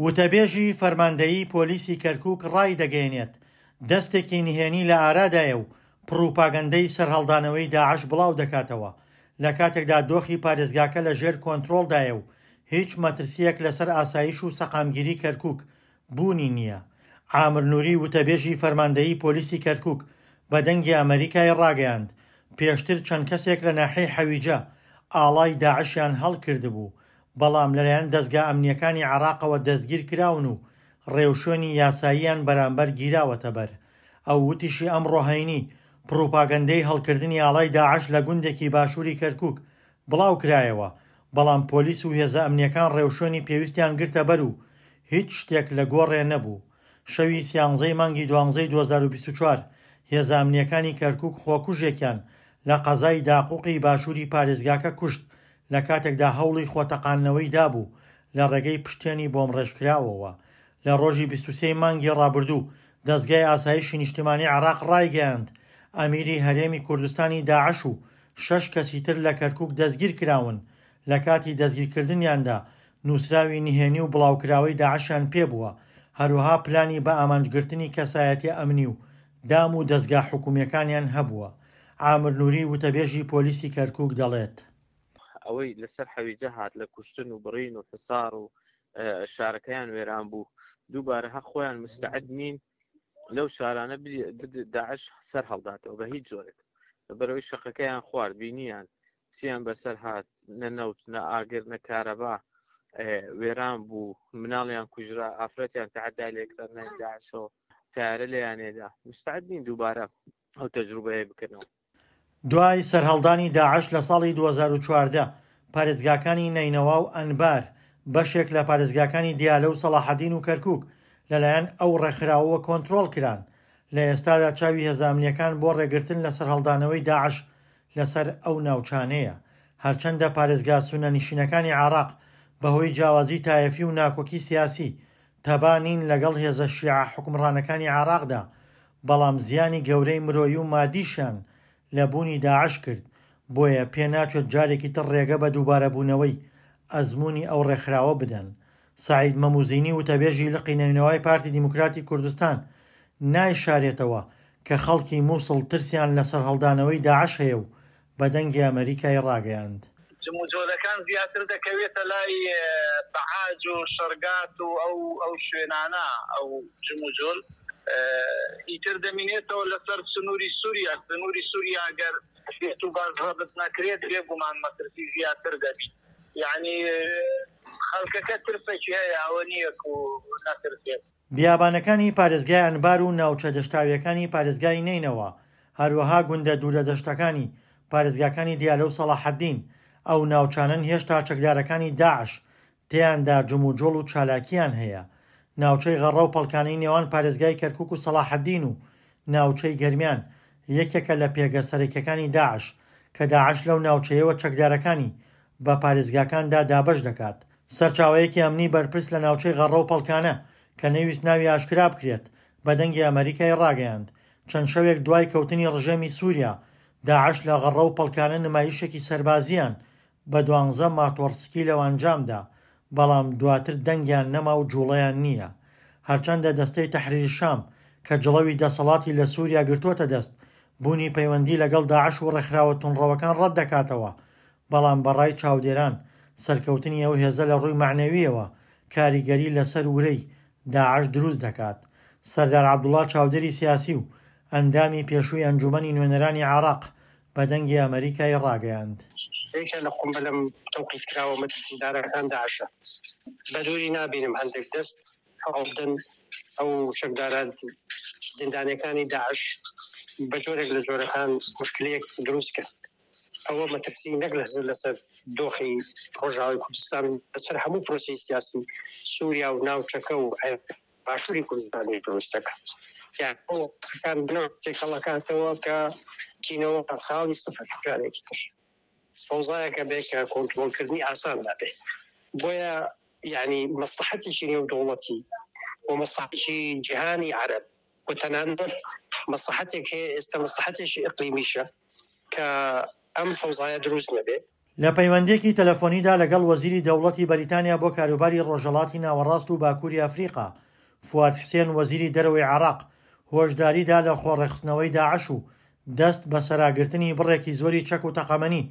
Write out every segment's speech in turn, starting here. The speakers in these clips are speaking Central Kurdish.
وتەبێژی فەرماندەیی پۆلیسی کەرکوک ڕایدەگەیەنێت، دەستێکی نهێنی لە ئارادایە و پڕوپاگەندەی سەرهەڵدانەوەی داعش بڵاودەکاتەوە، لەکاتێکدا دۆخی پارێزگاکە لە ژێر کۆنترۆڵدایە و هیچ مەترسییەک لەسەر ئاسایش و سەقامگیری کەرکوک بوونی نییە. عامر نوری وتەبێژی فەرماندەیی پۆلیسی کەرکوک بە دەنگی ئەمەریکای ڕاگەیاند، پێشتر چەند کەسێک لە ناحیەی حەویجە ئاڵای داعشیان هەڵکردبوو، بەڵام لەلایەن دەزگا ئەمنییەکانی عێراقەوە دەستگیرکراون و ڕێوشوێنی یاساییان بەرامبەر گیراوەتەبەر. ئەو وتیشی ئەمڕۆ هەینی، پڕوپاگەندەی هەڵکردنی ئاڵای داعش لە گوندێکی باشووری کەرکوک بڵاوکرایەوە، بەڵام پۆلیس و هێزە ئەمنییەکان ڕێوشوێنی پێویستیان گرتەبەر و هیچ شتێک لە گۆڕێ نەبوو. شەوی سیانزەی مانگی دوانزەی 2024 هێزە ئەمنییەکانی کەرکوک خۆکوژێکیان لە قەزای داقوقی باشووری پارێزگاکە کوشت لە کاتێکدا هەوڵی خۆتەقاندنەوەی دابوو لە ڕێگەی پشتێنی بۆمڕێژکراوەوە. لە ڕۆژی 23 ی مانگی ڕابردوو دەزگای ئاسایشی نیشتمانی عێراق ڕایگەیاند، ئەمیری هەرێمی کوردستانی داعش و شەش کەسی تر لە کەرکوک دەستگیرکراون، لە کاتی دەستگیرکردنیاندا نووسراوی نهێنی و بڵاوکراوەی داعشیان پێبووە، هەروەها پلانی بەئامانجگرتنی کەسایەتیە ئەمنی و دام و دەزگا حکومییەکانیان هەبووە. عامر نوری وتەبێژی پۆلیسی کەرکوک دەڵێت. ئەوەی لەسەر حەویجە هات لە کوشتن و بڕین و حسار و شارەکەیان وێران بوو دووبارە هە خۆیان مستعد نین لەو شارانە داعش سەر هەڵداتەوە بە هیچ جۆرێک بەرەوەی شەقەکەیان خوارد بینیان چیان بەسەر هات نە نەوت نە ئاگر نە کارەبا وێران بوو مناڵیان کوژرا ئافرەتیان تەعەدای لێکرا نای داعشەوە تارە لێیانێدا مستعد نین دووبارە ئەو تەجروبەیە بکەنەوە. دوای سەرهەڵدانی داعش لە ساڵی 2014، پارێزگاکانی نەینەوا و ئەنبار، بەشێک لە پارێزگاکانی دیالە و سەڵاحەدین و کەرکوک لەلایەن ئەو ڕێکخراوەوە کۆنترۆڵ کران. لە ئێستادا چاوی هێزە ئەمنییەکان بۆ ڕێگرتن لە سەرهەڵدانەوەی داعش لەسەر ئەو ناوچانەیە. هەرچەندە پارێزگا سوننەنشینەکانی عێراق بەهۆی جیاوازی تایەفی و ناکۆکی سیاسی تەبا نین لەگەڵ هێزە شیعە حوکمڕانەکانی عێراقدا، بەڵام زیانی گەورەی مرۆیی و مادیشیان لە بوونی داعش کرد، بۆیە پێناچێت جارێکی تر ڕێگە بە دووبارەبوونەوەی ئەزموونی ئەو ڕێکخراوە بدەن. سەعید مەموزینی وتەبێژی لقی نەینەوای پارتی دیموکراتی کوردستان نایشارێتەوە کە خەڵکی موسڵ ترسیان لە سەرهەڵدانەوەی داعش هەیە و بە دەنگی ئەمەریکای ڕاگەیاند. جموجۆلەکان زیاتر دەکەوێتە لای بەعاج و شەرگات و ئەو ئەو شوێنانە ئەو جموجۆل ئیتر دەمینێتەوە لەسەر سنووری سووریا سنووری سووریا گەر بێت و باش ڕەبت نەکرێت بێگومان مەترسی زیاتر دەبیت یعنی خەڵکەکە ترسێکی هەیە ئەوە نییە و نەترسێت. بیابانەکانی پارێزگای ئەنبار و ناوچە دەشتاوییەکانی پارێزگای نەینەوا، هەروەها گوندە دوورە دەشتەکانی پارێزگاکانی دیالە و سەڵاحەدین، ئەو ناوچانەن هێشتا چەکدارەکانی داعش تێیاندا جموجۆڵ و چالاکییان هەیە. ناوچەی غەڕە و پەڵکانەی نێوان پارێزگای کەرکوک و سەڵاحەدین و ناوچەی گەرمیان یەکێکە لە پێگە سەرەکیەکانی داعش، کە داعش لەو ناوچەیەوە چەکدارەکانی بە پارێزگاکاندا دابەش دەکات. سەرچاوەیەکی ئەمنی بەرپرس لە ناوچەی غەڕە و پەڵکانە کە نەیویست ناوی ئاشکرا بکرێت بە دەنگی ئەمەریکای ڕاگەیاند، چەند شەوێک دوای کەوتنی ڕژێمی سوریا، داعش لە غەڕە و پەڵکانە نمایشێکی سەربازییان بە دوانزە ماتۆڕسکیلەوە ئەنجامدا، بەڵام دواتر دەنگیان نەما و جوڵەیان نییە. هەرچەندە دەستەی تەحریر شام کە جڵەوی دەسەڵاتی لە سوریا گرتووەتە دەست، بوونی پەیوەندی لەگەڵ داعش و ڕێکخراوە توندڕەوەکان ڕەتدەکاتەوە، بەڵام بە ڕای چاودێران سەرکەوتنی ئەو هێزە لە ڕووی مەعنەوییەوە کاریگەری لەسەر ورەی داعش دروست دەکات. سەردار عەبدوڵا چاودێری سیاسی و ئەندامی پێشووی ئەنجومەنی نوێنەرانی عێراق بە دەنگی ئەمەریکای ڕاگەیاند. یەکێک لە قومبەلە تەوقیفکراوە مەترسیدارەکان داعشە. بە دووری نابینم هەندێک دەست هەوڵبدەن ئەو چەکدارە زیندانیەکانی داعش بە جۆرێک لە جۆرەکان موشکلەیەک دروست کەن. ئەوە مەترسی نەک لەسەر دۆخی ڕۆژئاوای کوردستان، لەسەر هەموو پرۆسەی سیاسی سووریا و ناوچەکە و باشووری کوردستانیش دروست دەکات. یان ئەو قسەکان بنەوە تێکەڵەکاتەوە کە چینەوە خاڵی سفر جارێکی تر فەوزایەکە بێ کە کۆنترۆڵکردنی ئاسان نابێ. بۆیە یعنی مەسڵەحەتێکی نێودەوڵەتی و مەسڵەحەتێکی جیهانی عەرەب و تەنانەت مەسڵەحەتێک هەیە ئێستا مەسڵەحەتێکی ئیقلیمیشە کە ئەم فەوزایە دروست نەبێ. لە پەیوەندییەکی تەلەفۆنیدا لەگەڵ وەزیری دەوڵەتی بەریتانیا بۆ کاروباری ڕۆژهەڵاتی ناوەڕاست و باکووری ئەفریقا، فواد حسێن وەزیری دەرەوەی عێراق هۆشداری دا لە خۆڕێکخستنەوەی داعش و دەست بەسەراگرتنی بڕێکی زۆری چەک و تەقەمەنی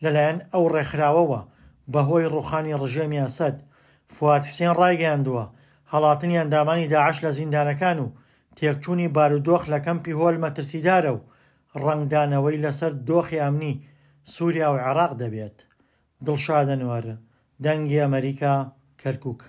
لەلایەن ئەو ڕێکخراوەوە بەهۆی ڕووخانی ڕژێمی ئەسەد. فواد حسێن ڕایگەیاندووە، هەڵاتنی ئەندامانی داعش لە زیندانەکان و تێکچوونی بارودۆخ لە کەمپی هۆل مەترسیدارە و ڕەنگدانەوەی لەسەر دۆخی ئەمنی سووریا و عێراق دەبێت. دڵشاد ئەنوەر، دەنگی ئەمەریکا، کەرکوک.